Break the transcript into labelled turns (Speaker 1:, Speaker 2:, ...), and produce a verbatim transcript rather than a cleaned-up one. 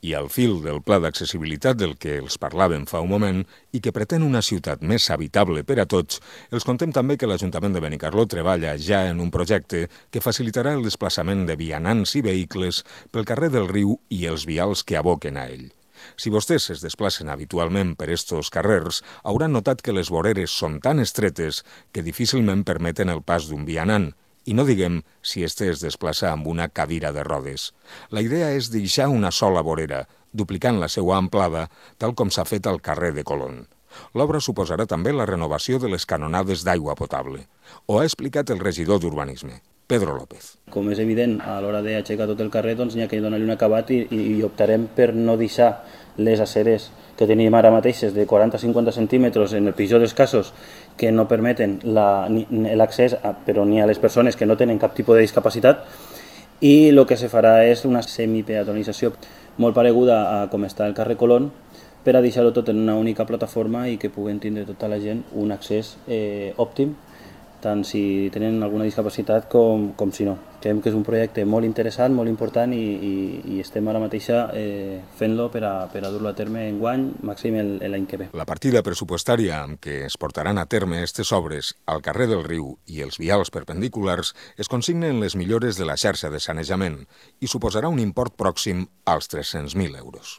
Speaker 1: I al fil del pla d'accessibilitat del que els parlàvem fa un moment i que pretén una ciutat més habitable per a tots, els contem també que l'Ajuntament de Benicarló treballa ja en un projecte que facilitarà el desplaçament de vianants i vehicles pel carrer del Riu i els vials que aboquen a ell. Si vostès es desplacen habitualment per estos carrers, hauran notat que les voreres són tan estretes que difícilment permeten el pas d'un vianant, i no diguem si este es desplaça amb una cadira de rodes. La idea és deixar una sola vorera, duplicant la seva amplada, tal com s'ha fet al carrer de Colón. L'obra suposarà també la renovació de les canonades d'aigua potable. Ho ha explicat el regidor d'Urbanisme, Pedro López.
Speaker 2: Com és evident, a l'hora d'aixecar tot el carrer, doncs n'hi ha que donar-li un acabat i, i optarem per no deixar les aceres que tenim ara mateixes de quaranta a cinquanta centímetres en el pitjor dels casos que no permeten l'accés, però ni a les persones que no tenen cap tipus de discapacitat, i el que se farà és una semipeatonització molt pareguda a com està el carrer Colón, per a deixar-ho tot en una única plataforma i que puguen tindre tota la gent un accés eh, òptim, tant si tenen alguna discapacitat com, com si no. Creiem que és un projecte molt interessant, molt important i, i, i estem ara mateix eh, fent-lo per a, per a dur-lo a terme enguany, màxim l'any que ve.
Speaker 1: La partida pressupostària amb què es portaran a terme aquestes obres al carrer del Riu i els vials perpendiculars es consigna en les millores de la xarxa de sanejament i suposarà un import pròxim als tres-cents mil euros.